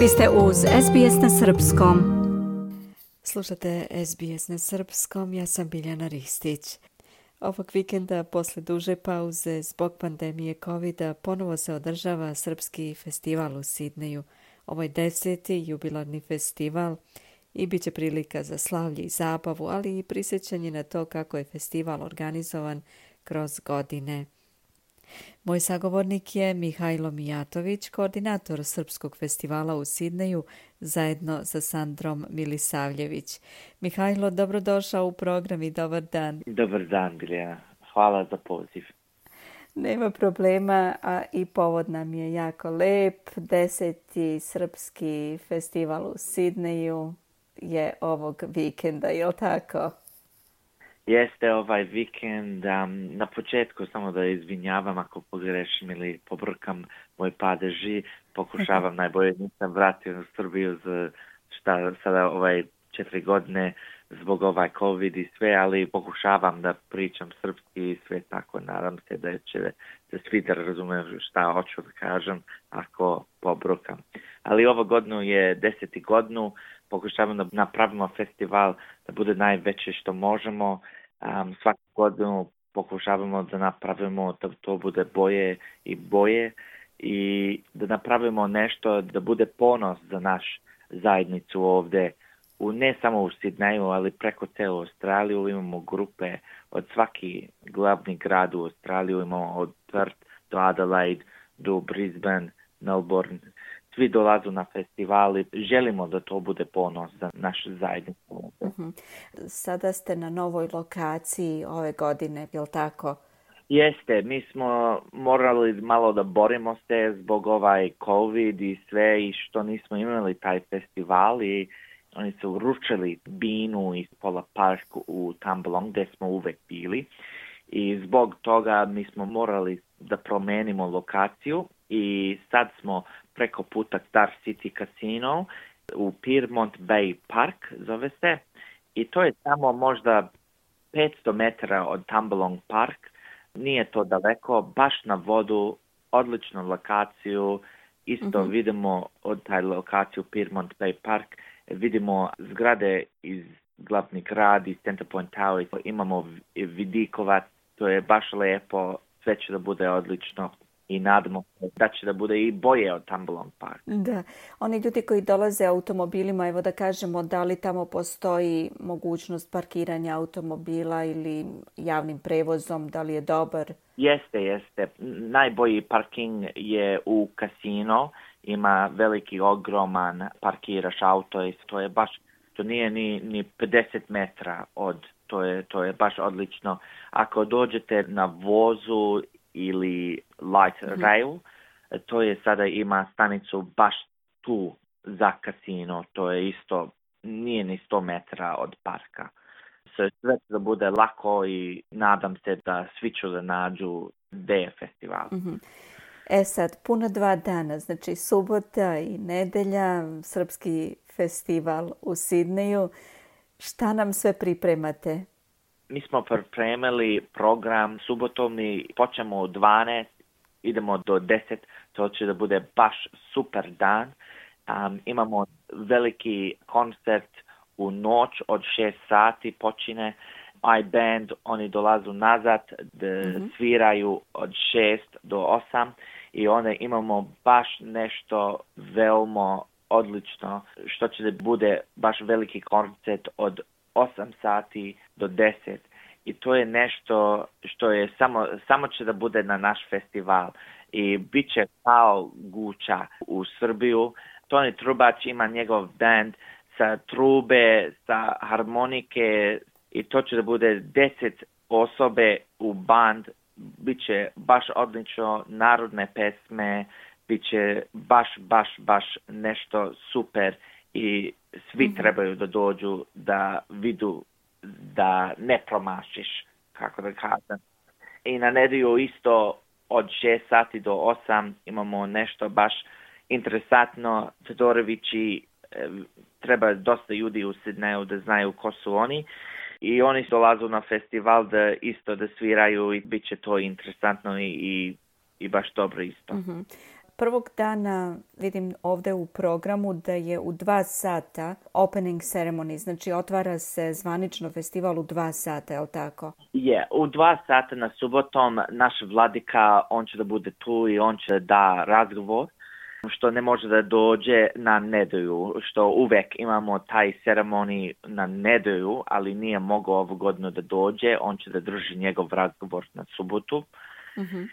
Vi ste uz SBS na Srpskom. Slušate SBS na Srpskom, ja sam Biljana Ristić. Ovog vikenda, posle duže pauze zbog pandemije COVID-a, ponovo se održava Srpski festival u Sidneju. Ovo je 10. jubilarni festival i bit će prilika za slavlje i zabavu, ali i prisjećanje na to kako je festival organizovan kroz godine. Moj sagovornik je Mihajlo Mijatović, koordinator Srpskog festivala u Sidneju, zajedno sa Sandrom Milisavljević. Mihajlo, dobrodošao u program i dobar dan. Dobar dan, Biljana. Hvala za poziv. Nema problema, a i povod nam je jako lep. 10. Srpski festival u Sidneju je ovog vikenda, je li tako? Jeste ovaj vikend. Na početku samo da izvinjavam ako pogrešim ili pobrkam moj padeži. Pokušavam najbolje, nisam vratio u Srbiju za sada 4 godine zbog COVID i sve, ali pokušavam da pričam srpski i sve tako. Nadam se da će se svi da razumiju šta hoću da kažem ako pobrkam. Ali ovo godinu je 10. godinu. Pokušavamo da napravimo festival da bude najveće što možemo. Svaku godinu pokušavamo da napravimo da to bude boje i da napravimo nešto da bude ponos za naš zajednicu ovdje. Ne samo u Sidneju, ali preko celu Australiju imamo grupe od svaki glavni grad u Australiju. Imamo od Perth do Adelaide, do Brisbane, Melbourne. Svi dolazu na festivali. Želimo da to bude ponos za našu zajednicu. Sada ste na novoj lokaciji ove godine, je li tako? Jeste, mi smo morali malo da borimo se zbog COVID i sve i što nismo imali taj festival i oni su uručili binu iz pola parku u Tambalong gdje smo uvek bili i zbog toga mi smo morali da promenimo lokaciju i sad smo preko puta Star City Casino u Pyrmont Bay Park zove se i to je samo možda 500 metara od Tambalong Park, nije to daleko, baš na vodu, odličnu lokaciju, isto vidimo od taj lokaciju Pyrmont Bay Park, vidimo zgrade iz glavni grad, iz Center Point Tower, imamo vidikovac, to je baš lijepo, sve će da bude odlično. I nadamo se da će da bude i boje od Tambalong Park. Da, oni ljudi koji dolaze automobilima, evo da kažemo, da li tamo postoji mogućnost parkiranja automobila ili javnim prevozom, da li je dobar? Jeste. Najbolji parking je u kasino, ima veliki, ogroman, parkiraš auto i to je baš, to nije ni 50 metra to je baš odlično. Ako dođete na vozu ili light rail, to je sada ima stanicu baš tu za kasino, to je isto, nije ni 100 metara od parka. Sve da bude lako i nadam se da svi će da nađu gde je festival. Sad, puno 2 dana, znači subota i nedelja, Srpski festival u Sidneju. Šta nam sve pripremate? Mi smo pripremili program subotom i počnemo u 12, idemo do 10, to će da bude baš super dan. Imamo veliki koncert u noć od 6 sati počine. iBand, oni dolazu nazad, da sviraju od 6 do 8 i onda imamo baš nešto veoma odlično, što će da bude baš veliki koncert od 8 sati do 10 i to je nešto što je samo će da bude na naš festival i bit će kao Guča u Srbiju. Toni Trubač ima njegov band sa trube, sa harmonike i to će da bude 10 osobe u band. Biće baš odlično, narodne pesme, biće baš nešto super i svi trebaju da dođu da vidu da ne promašiš, kako da kažem. I na nedelju isto od 6 sati do 8 imamo nešto baš interesantno. Todorovići, treba dosta ljudi u Sidneju da znaju ko su oni. I oni dolazu na festival da isto da sviraju i bit će to interesantno i baš dobro isto. Prvog dana vidim ovdje u programu da je u 2 sata opening ceremony, znači otvara se zvanično festival u 2 sata, je li tako? Je, u 2 sata na subotom naš vladika, on će da bude tu i on će da razgovor, što ne može da dođe na nedelju, što uvek imamo taj ceremonij na nedelju, ali nije mogao ovu godinu da dođe, on će da drži njegov razgovor na subotu. Mm-hmm.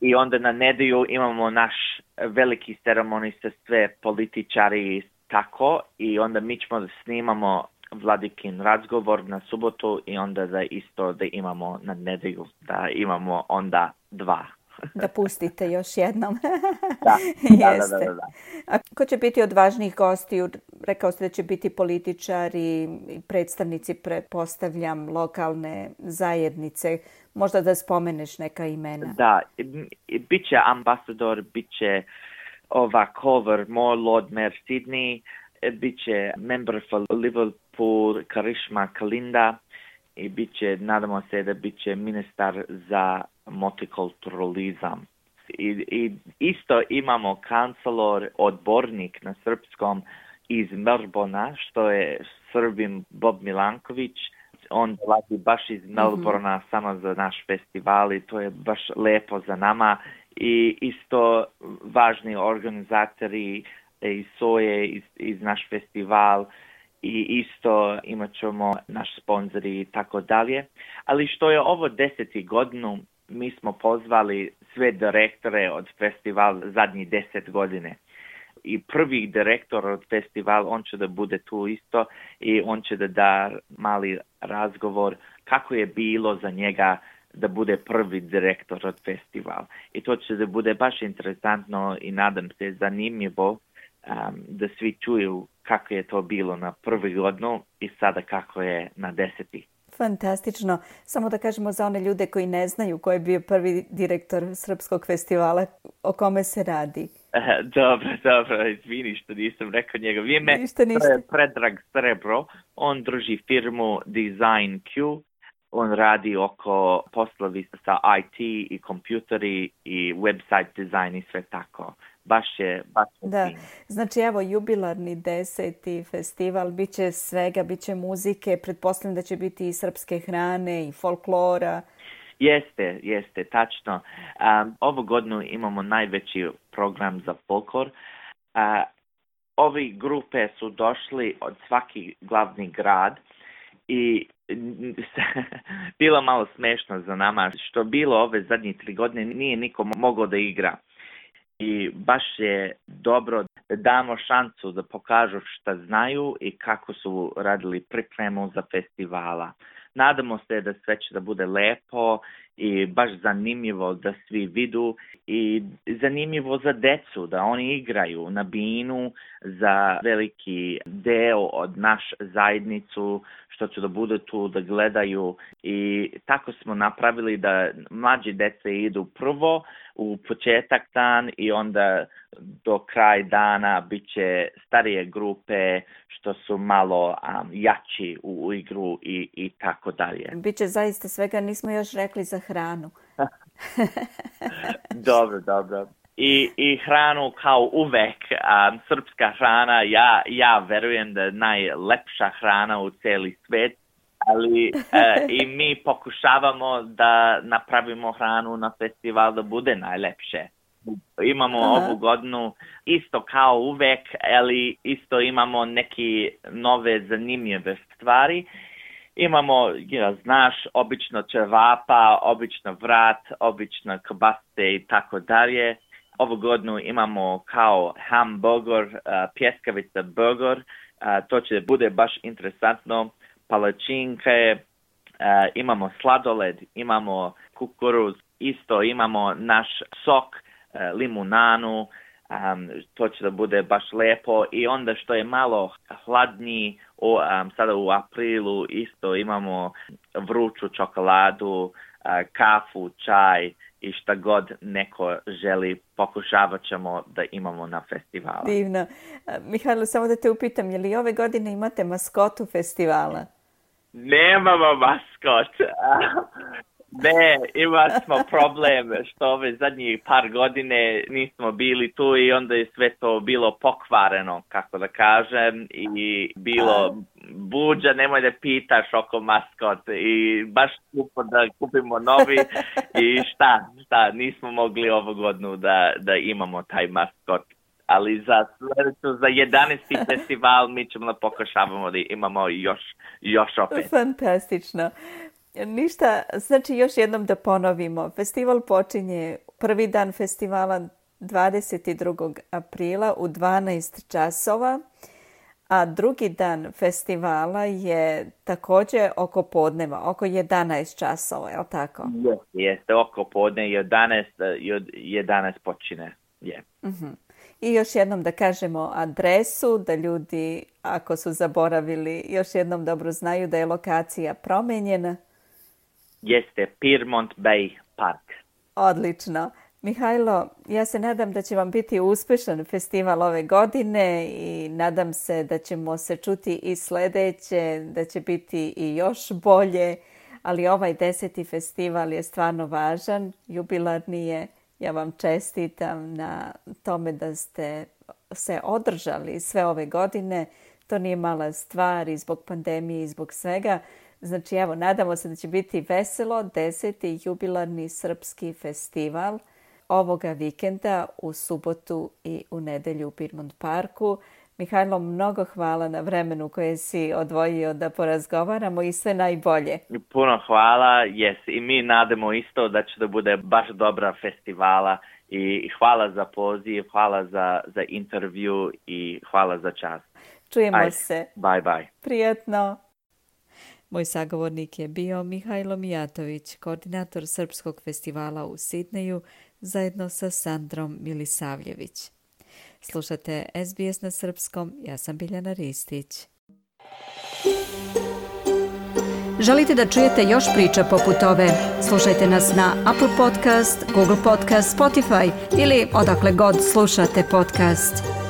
I onda na nedelju imamo naš veliki ceremonij sa sve političari tako i onda mi ćemo da snimamo vladikin razgovor na subotu i onda da isto da imamo na nedelju, da imamo onda 2. Da pustite još jednom. Da. Da. A ko će biti od važnijih gostiju? Rekao ste da će biti političari i predstavnici, pretpostavljam, lokalne zajednice. Možda da spomeneš neka imena. Da, bit će ambasador, bit će Culver Moore, Lord Mayor Sydney, bit će member for Liverpool, Karishma Kalinda i bit će, nadamo se da bit će ministar za multikulturalizam. I isto imamo kancelor, odbornik na srpskom iz Melbourna, što je Srbin Bob Milanković. On dolazi baš iz Melbourna samo za naš festival i to je baš lepo za nama. I isto važni organizatori iz SOE, iz naš festival i isto imat ćemo naš sponzori i tako dalje. Ali što je ovo 10. godinu, mi smo pozvali sve direktore od festivala zadnjih 10 godine. I prvi direktor od festivala, on će da bude tu isto i on će da da mali razgovor kako je bilo za njega da bude prvi direktor od festivala. I to će da bude baš interesantno i nadam se zanimljivo da svi čuju kako je to bilo na prvi godinu i sada kako je na 10. Fantastično. Samo da kažemo za one ljude koji ne znaju ko je bio prvi direktor Srpskog festivala, o kome se radi. Dobro, izvini što nisam rekao njegov ime. Ništa. To je Predrag Srebro. On drži firmu Design Q. On radi oko poslovi sa IT i kompjuteri i website dizajn i sve tako. Baš je da. Fin. Znači evo jubilarni 10. festival, bit će svega, bit će muzike, pretpostavljam da će biti i srpske hrane i folklora. Jeste, tačno. Ovu godinu imamo najveći program za folklor. Ovi grupe su došli od svaki glavni grad i bilo malo smešno za nama što bilo ove zadnje 3 godine nije niko mogao da igra. I baš je dobro da damo šansu da pokažu šta znaju i kako su radili pripremu za festivala. Nadamo se da sve će da bude lepo i baš zanimljivo da svi vidu i zanimljivo za decu, da oni igraju na binu za veliki deo od naš zajednicu, što će da bude tu da gledaju i tako smo napravili da mlađi dece idu prvo u početak dan i onda do kraj dana bit će starije grupe što su malo jači u igru i tako dalje. Biće zaista svega, nismo još rekli za hranu. Dobro. I hranu kao uvek, srpska hrana, ja verujem da je najlepša hrana u cijeli svijet, ali i mi pokušavamo da napravimo hranu na festival da bude najlepše. Imamo ovu godinu isto kao uvek, ali isto imamo neke nove zanimljive stvari. Imamo, znaš, obično ćevapa, obično vrat, obično kobasice i tako dalje. Ovu godinu imamo kao hamburger, pljeskavica burger, to će bude baš interesantno. Palačinke, imamo sladoled, imamo kukuruz, isto imamo naš sok, limunanu, to će da bude baš lepo i onda što je malo hladniji, sada u aprilu isto imamo vruću čokoladu, kafu, čaj i šta god neko želi, pokušavat ćemo da imamo na festivalu. Divno. Mihajlo, samo da te upitam, je li ove godine imate maskotu festivala? Nemamo maskot. Ne, imali smo problem što ove zadnjih par godine nismo bili tu i onda je sve to bilo pokvareno, kako da kažem, i bilo buđa, nemoj da pitaš oko maskot i baš skupo da kupimo novi i šta, nismo mogli ovu godinu da imamo taj maskot. Ali za 11. festival mi ćemo pokušavamo da imamo još opet. Fantastično. Ništa, znači još jednom da ponovimo. Festival počinje prvi dan festivala 22. aprila u 12 časova, a drugi dan festivala je također oko podneva, oko 11 časova, je li tako? Jeste, oko podne 11 počine. Yeah. Uh-huh. I još jednom da kažemo adresu, da ljudi, ako su zaboravili, još jednom dobro znaju da je lokacija promenjena. Jeste, Pyrmont Bay Park. Odlično. Mihajlo, ja se nadam da će vam biti uspješan festival ove godine i nadam se da ćemo se čuti i sljedeće, da će biti i još bolje, ali ovaj 10. festival je stvarno važan, jubilarni je. Ja vam čestitam na tome da ste se održali sve ove godine. To nije mala stvar i zbog pandemije i zbog svega. Znači, evo, nadamo se da će biti veselo 10. jubilarni srpski festival ovoga vikenda u subotu i u nedelju u Pyrmont Parku. Mihajlo, mnogo hvala na vremenu koje si odvojio da porazgovaramo i sve najbolje. Puno hvala, i mi nadamo isto da će da bude baš dobra festivala i hvala za poziv, hvala za intervju i hvala za čas. Čujemo se. Bye. Prijatno. Moj sagovornik je bio Mihajlo Mijatović, koordinator Srpskog festivala u Sidneju, zajedno sa Sandrom Milisavljević. Slušate SBS na srpskom, ja sam Biljana Ristić. Želite da čujete još priča poput ove? Slušajte nas na Apple Podcast, Google Podcast, Spotify ili odakle god slušate podcast.